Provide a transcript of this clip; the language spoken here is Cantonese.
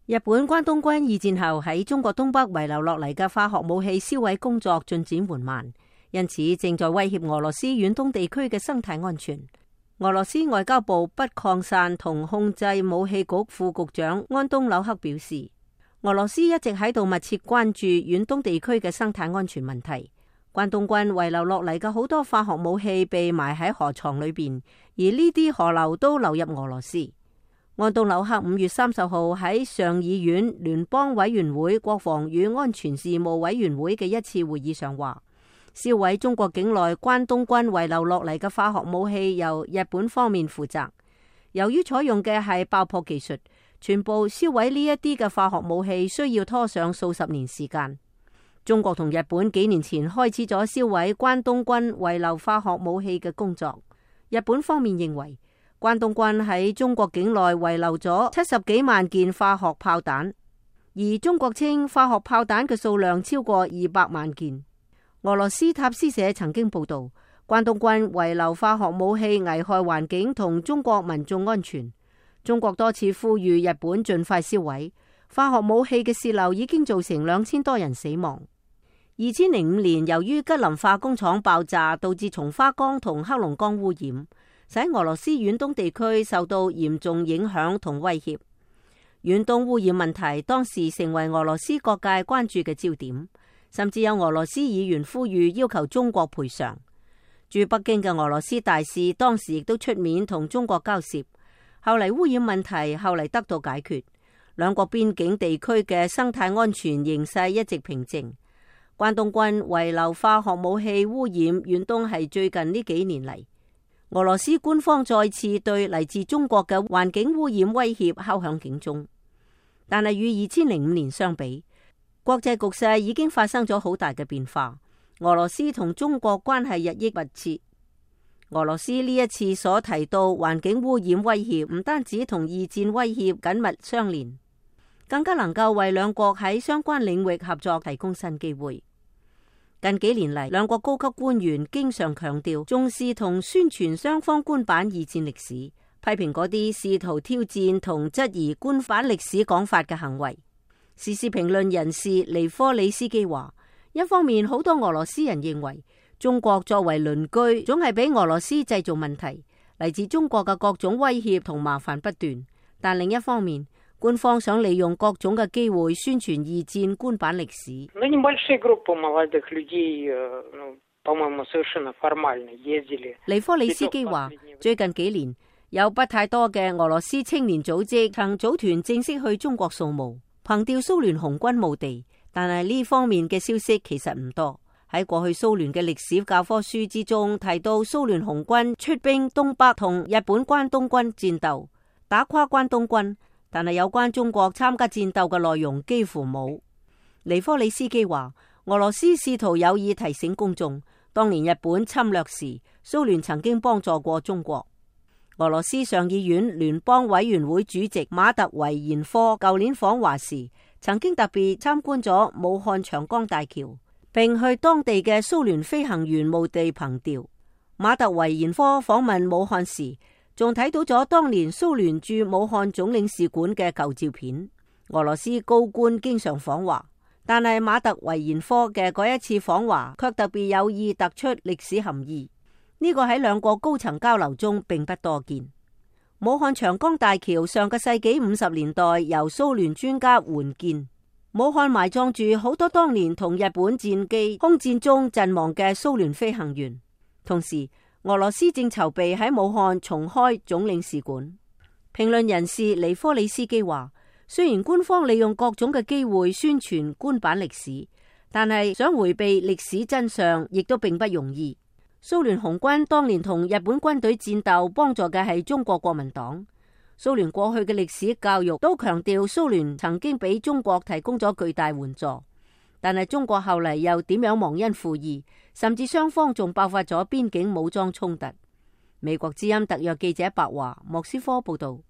日本關東軍二戰後喺中國東北遺留落嚟嘅化學武器銷毀工作進展緩慢，因此正在威脅俄羅斯遠東地區嘅生態安全。俄羅斯外交部不擴散同控制武器局副局長安東紐克表示，俄羅斯一直喺度密切關注遠東地區嘅生態安全問題。關東軍遺留落嚟嘅好多化學武器被埋喺河床裏邊，而呢啲河流都流入俄羅斯。安東紐克5月30號喺上議院聯邦委員會國防與安全事務委員會嘅一次會議上話，銷毀中國境內關東軍遺留落嚟嘅化學武器由日本方面負責。由於採用嘅係爆破技術，全部銷毀呢一啲嘅化學武器需要拖上數十年時間。中國同日本幾年前開始咗銷毀關東軍遺留化學武器嘅工作。日本方面認為，關東軍喺中國境內遺留咗70幾萬件化學炮彈，而中國稱化學炮彈嘅數量超過200萬件。俄羅斯塔斯社曾經報道，關東軍遺留化學武器危害環境同中國民眾安全。中國多次呼籲日本盡快銷毀化學武器嘅洩漏，已經造成2000多人死亡。2005年，由於吉林化工廠爆炸，導致松花江同黑龍江污染，使俄羅斯遠東地區受到嚴重影響同威脅。遠東污染問題當時成為俄羅斯各界關注嘅焦點，甚至有俄羅斯議員呼籲要求中國賠償。駐北京嘅俄羅斯大使當時亦都出面同中國交涉。後嚟污染問題後嚟得到解決，兩國邊境地區嘅生態安全形勢一直平靜。關東軍遺留化學武器污染遠東係最近呢幾年嚟，俄羅斯官方再次對嚟自中國嘅環境污染威脅敲響警鐘。但係與2005年相比，國際局勢已經發生咗好大嘅變化。俄羅斯同中國關係日益密切。俄羅斯呢一次所提到環境污染威脅，唔單止同二戰威脅緊密相連，更加能夠為兩國喺相關領域合作提供新機會。近幾年嚟，兩國高級官員經常強調重視同宣傳雙方官版二戰歷史，批評嗰啲試圖挑戰同質疑官版歷史講法嘅行為。時事評論人士尼科里斯基話，一方面好多俄羅斯人認為中國作為鄰居，總係俾俄羅斯製造問題，嚟自中國嘅各種威脅同麻煩不斷。但另一方面，官方想利用各種嘅機會宣傳二戰官版歷史。尼科里斯基話，最近幾年有不太多嘅俄羅斯青年組織曾組團正式去中國掃墓，憑吊蘇聯紅軍墓地，但係呢方面嘅消息其實唔多。喺過去蘇聯嘅歷史教科書之中提到蘇聯紅軍出兵東北同日本關東軍戰鬥，打垮關東軍。但係有關中國參加戰鬥嘅內容幾乎冇。尼科里斯基話，俄羅斯試圖有意提醒公眾，當年日本侵略時，蘇聯曾經幫助過中國。俄羅斯上議院聯邦委員會主席馬特維延科舊年訪華時，曾經特別參觀咗武漢長江大橋，並去當地嘅蘇聯飛行員墓地憑吊。馬特維延科訪問武漢時，仲睇到咗當年蘇聯駐武漢總領事館嘅舊照片。俄羅斯高官經常訪華，但係馬特維延科嘅嗰一次訪華卻特別有意突出歷史含義。呢個喺兩國高層交流中並不多見。武漢長江大橋上個世紀50年代由蘇聯專家援建，武漢埋葬住好多當年同日本戰機空戰中陣亡嘅蘇聯飛行員。同時，俄羅斯正籌備喺武漢重開總領事館。評論人士尼科里斯基話，雖然官方利用各種嘅機會宣傳官版歷史，但係想回避歷史真相亦都並不容易。蘇聯紅軍當年同日本軍隊戰鬥，幫助嘅係中國國民黨。蘇聯過去嘅歷史教育都強調蘇聯曾經俾中國提供咗巨大援助。但係中國後嚟又點樣忘恩負義，甚至雙方仲爆發咗邊境武裝衝突。美國之音特約記者白華莫斯科報道。